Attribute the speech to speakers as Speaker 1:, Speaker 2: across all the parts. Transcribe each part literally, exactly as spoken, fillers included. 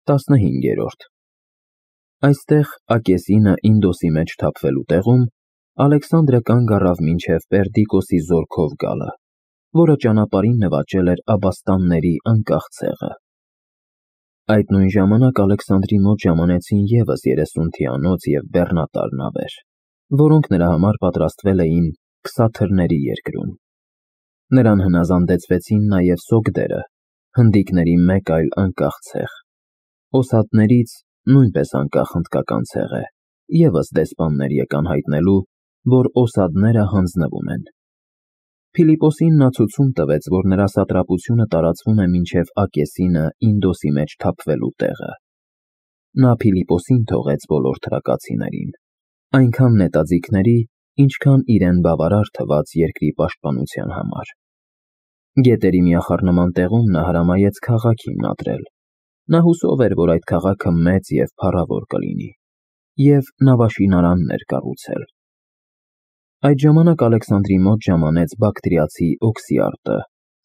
Speaker 1: տասնհինգերորդ Այստեղ Ակեսինը Ինդոսի մեջ թափվելու տեղում Ալեքսանդրը կանգ առավ մինչև Պերդիկոսի զորքով գալը, որը ճանապարհին նվաճել էր Աբաստանների անկախ ցեղը։ Այդ նույն ժամանակ Ալեքսանդրի մոտ ժամանեցին ևս երեսուն թիանոց և բեռնատար նավեր, որոնք նրա համար պատրաստվել էին Քսաթրների երկրում։ Նրան հնազանդեցվեցին նաև Սոգդերը, հնդիկների մեկ այլ անկախ ցեղ։ Օսաթներից, նույնպես անկախ հնդկական ցեղ է, ևս դեսպաններ եկան հայտնելու, որ օսադները հանձնվում են։ Փիլիպոսին նա ցուցում տվեց, որ նրա սատրապությունը տարածվում է մինչև Ակեսինը Ինդոսի մեջ թափվելու տեղը։ Նա Փիլիպոսին թողեց բոլոր թրակացիներին, այնքան նետաձիգների, ինչքան իրեն բավարար թվաց երկրի պաշտպանության համար։ Գետերի միախառնման տեղում նա հրամայեց քաղաք հիմնադրել։ Նա հուսով էր, որ այդ քաղաքը մեծ և փառավոր կլինի, և նավաշինարաններ կառուցել։ Այդ ժամանակ Ալեքսանդրի մոտ ժամանեց Բակտրիացի Օքսիարտը,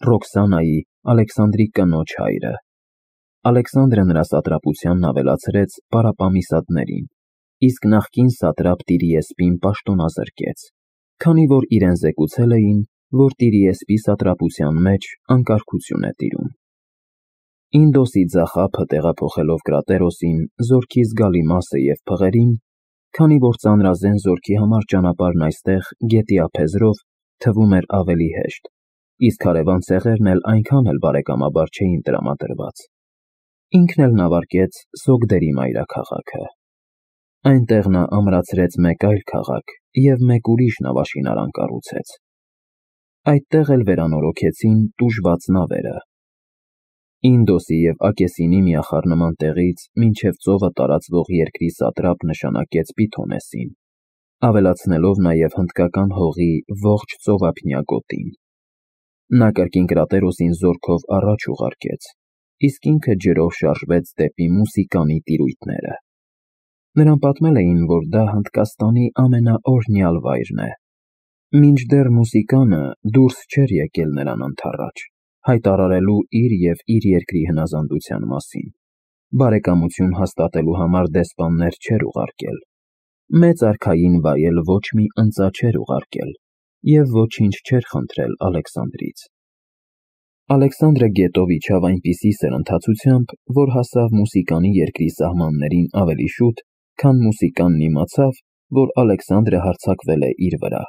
Speaker 1: Ռոքսանայի, Ալեքսանդրի կնոջ հայրը։ Ալեքսանդրը նրա սատրապությանն ավելացրեց Պարապամիսադներին, իսկ նախկին սատրապ Տիրիեսպին պաշտոնազրկեց, քանի որ իրեն զեկուցել էին, որ Տիրիեսպի սատրապության մեջ անկարգություն է տիրում։ Ինդոսի ձախափը տեղափոխելով Կրատերոսին, զորքի զգալի մասը և փղերին, քանի որ ծանրազեն զորքի համար ճանապարհն այստեղ գետի ափեզրով թվում էր ավելի հեշտ, իսկ հարևան ցեղերն էլ այնքան էլ բարեկամաբար չէին տրամադրված, ինքն էլ նավարկեց Սոգդերի մայրաքաղաքը։ Այնտեղ նա ամրացրեց մեկ այլ քաղաք և մեկ ուրիշ նավաշինարան կառուցեց։ Այդտեղ էլ վերանորոգեցին տուժված նավերը։ Ինդոսի և Ակեսինի միախառնման տեղից մինչև ծովը տարածվող երկրի սատրապ նշանակեց Պիթոմեսին, ավելացնելով նաև հնդկական հողի ողջ ծովափնյա գոտին։ Նա կրկին Կրատերոսին զորքով առաջ ուղարկեց, իսկ ինքը ջրով շարժվեց դեպի Մուսիկանի տիրույթները։ Նրան պատմել էին, որ դա Հնդկաստանի ամենաօրհնյալ վայրն է, մինչդեռ Մուսիկանը դուրս չէր եկել նրան ընդառաջ, հայտարարելու իր և իր երկրի հնազանդության մասին, բարեկամություն հաստատելու համար դեսպաններ չէր ուղարկել, մեծ արքային վայել ոչ մի ընծա չէր ուղարկել և ոչինչ չէր խնդրել Ալեքսանդրից։ Ալեքսանդրը գետով իջավ այնպիսի սրընթացությամբ, որ հասավ Մուսիկանի երկրի սահմաններին ավելի շուտ, քան Մուսիկանն իմացավ, որ Ալեքսանդրը հարձակվել է իր վրա։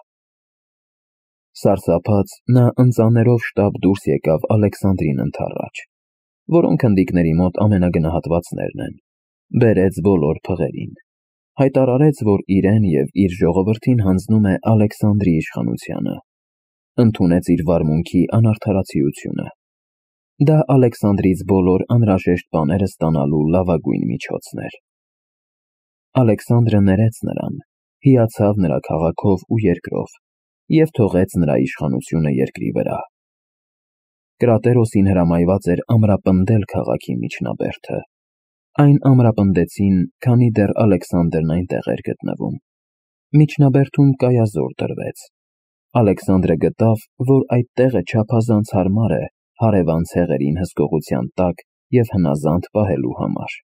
Speaker 1: Սարսափած, նա ընծաներով շտապ դուրս եկավ Ալեքսանդրին ընդառաջ, որոնք հնդիկների մոտ ամենագնահատվածներն են, բերեց բոլոր փղերին, հայտարարեց, որ իրեն և իր ժողովրդին հանձնում է Ալեքսանդրի իշխանությունը, ընդունեց իր վարմունքի անարդարացիությունը։ Դա Ալեքսանդրից բոլոր անհրաժեշտ բաները ստանալու լավագույն միջոցն էր։ Ալեքսանդրը ներեց նրան, հիացավ նրա քաղաքով ու երկրով և թողեց նրա իշխանությունը երկրի վրա։ Կրատերոսին հրամայված էր ամրապնդել քաղաքի միջնաբերդը։ Այն ամրապնդեցին, քանի դեռ Ալեքսանդրն այնտեղ էր գտնվում։ Միջնաբերդում կայազոր դրվեց։ Ալեքսանդրը գտավ, որ այդ տեղը չափազանց հարմար է հարևան ցեղերին հսկողության տակ և հնազանդ պահելու համար։